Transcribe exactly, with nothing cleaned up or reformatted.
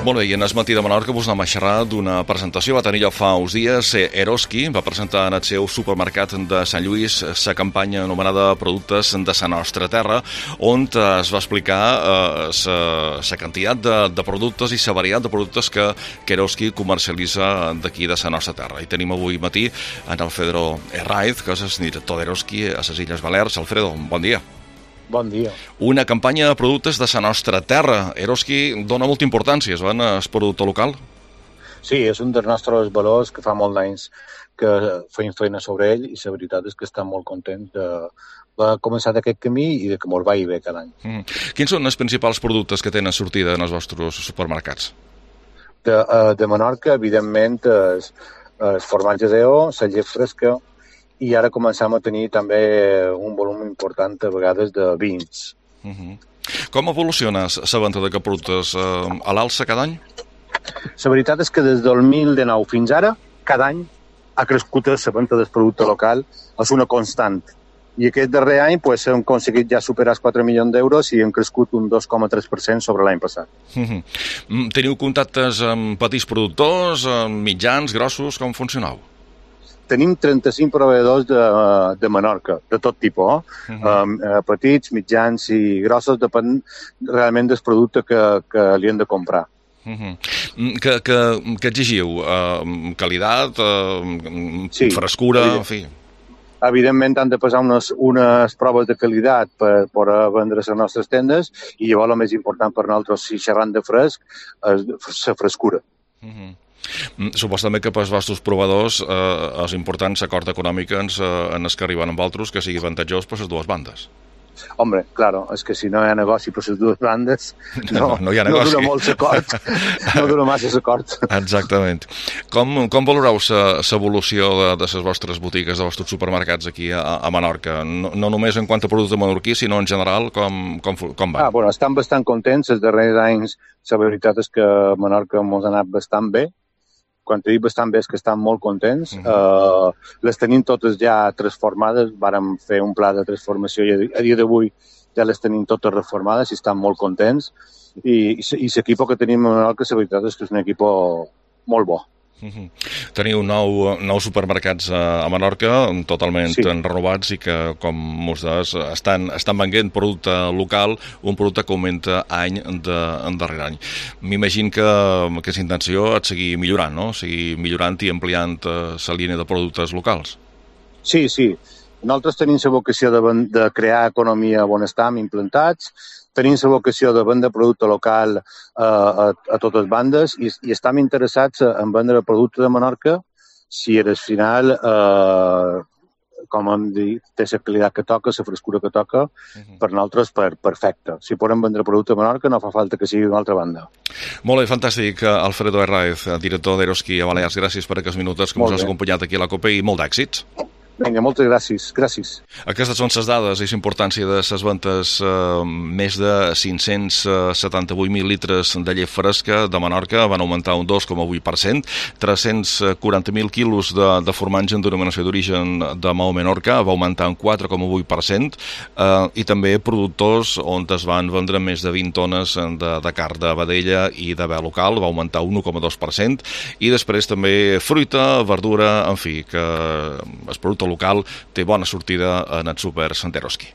Molt bé, i en el matí de Menorca vos anem a xerrar d'una presentació. Va tenir lloc fa uns dies. Eroski va presentar en el seu supermercat de Sant Lluís la campanya anomenada Productes de la nostra terra, on es va explicar la quantitat de, de productes i la varietat de productes que, que Eroski comercialitza d'aquí de la nostra terra. I tenim avui matí en Alfredo Herraiz, que és el director d'Eroski a les Illes Balears. Alfredo, bon dia. Bon dia. Una campanya de productes de la nostra terra. Eroski dona molta importància al producte local? Sí, és un dels nostres valors que fa molt d'anys que feim feina sobre ell i la veritat és que estem molt contents de va començar d'aquest camí i de que ens vagi bé cada any. Mm. Quins són els principals productes que tenen sortida en els vostres supermercats? De, de Menorca, evidentment, els, els formatges E O, la llet fresca, i ara començam a tenir també un volum important, a vegades, de vins. Uh-huh. Com evoluciona la venda d'aquests productes? Eh, a l'alça cada any? La veritat és que des del dos mil dinou fins ara, cada any ha crescut la venda del producte local, és una constant. I aquest darrer any pues, hem aconseguit ja superar els quatre milions d'euros i hem crescut un dos coma tres per cent sobre l'any passat. Uh-huh. Teniu contactes amb petits productors, amb mitjans, grossos? Com funcioneu? Tenim trenta-cinc proveïdors de, de Menorca, de tot tipus, eh? Uh-huh. um, petits, mitjans i grossos, depèn realment del producte que, que li hem de comprar. Uh-huh. Que, que, que exigiu? Uh, qualitat, uh, sí, frescura, en fi? Evidentment han de passar unes, unes proves de qualitat per poder vendre les nostres tendes i llavors el més important per nosaltres, si xerrant de fresc, és la frescura. Uh-huh. Suposo també que pels vostres provadors eh, és important l'acord econòmic en, en els que arriben amb altres que sigui avantatjós per les dues bandes. Hombre, claro, és que si no hi ha negoci per les dues bandes no, no, no, hi ha negoci. No dura molt l'acord, no dura massa l'acord. Exactament. Com, com valoreu l'evolució de, de les vostres botigues, de vostres supermercats aquí a, a Menorca? No, no només en quant a producte menorquí, sinó en general, com, com, com van? Ah, bueno, estan bastant contents. Els darrers anys, la veritat és que a Menorca ens ha anat bastant bé. Quan te dic bastant bé és que estan molt contents. Uh-huh. uh, les tenim totes ja transformades, vàrem fer un pla de transformació i a dia d'avui ja les tenim totes reformades i estan molt contents. I, i, i l'equip que tenim a Menorca, la veritat és que és un equip molt bo. Uh-huh. Teniu nou, nou supermercats a, a Menorca, totalment sí. renovats i que, com mos des, estan, estan venent producte local, un producte que augmenta any de, en darrer any. M'imagino que aquesta intenció és seguir millorant, no? Seguir millorant i ampliant la línia de productes locals. Sí, sí. Nosaltres tenim la vocació de, de crear economia on estem implantats, tenim la vocació de vendre producte local eh, a, a totes bandes i, i estem interessats en vendre producte de Menorca si al final, eh, com hem dit, té la qualitat que toca, la frescura que toca, uh-huh. per nosaltres per, perfecte. Si podem vendre producte de Menorca no fa falta que sigui d'una altra banda. Molt bé, fantàstic. Alfredo Herraiz, director d'Eroski a Balears, gràcies per aquests minuts que ens has acompanyat aquí a la COPE i molt d'èxits. Vinga, moltes gràcies. gràcies. Aquestes són les dades i la importància de les ventes. Eh, més de cinc-cents setanta-vuit mil litres de llet fresca de Menorca van augmentar un dos coma vuit per cent, tres-cents quaranta mil quilos de, de formatge en denominació d'origen de Maó Menorca va augmentar un quatre coma vuit per cent eh, i també productors on es van vendre més de vint tones de, de carn de vedella i de bé local, va augmentar un un coma dos per cent i després també fruita, verdura, en fi, que el producte local té bona sortida en el súper Eroski.